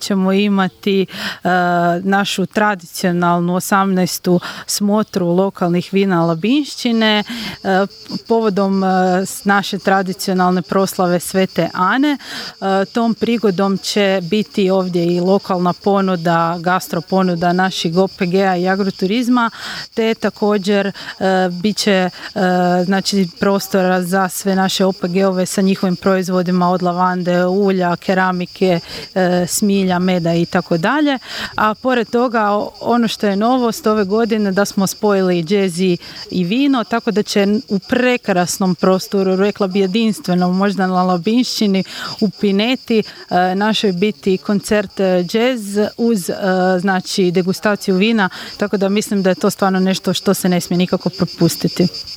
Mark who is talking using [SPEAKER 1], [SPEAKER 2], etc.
[SPEAKER 1] ćemo imati našu tradicionalnu 18. smotru lokalnih vina Labinšćine povodom naše tradicionalne proslave Svete Ane. Tom prigodom će biti ovdje i lokalna ponuda, gastro ponuda naših OPG-a i agroturizma, te također bit će znači prostora za sve naše OPG-ove sa njihovim proizvodima od lavande, ulja, keramike, smilja, meda i tako dalje. A pored toga ono što je novost ove godine da smo spojili džez i vino, tako da će u prekrasnom prostoru, rekla bi jedinstvenom, možda na Labinšćini u Pineti, našoj biti koncert džez uz znači degustaciju vina, tako da mislim da je to stvarno nešto što se ne smije nikako propustiti.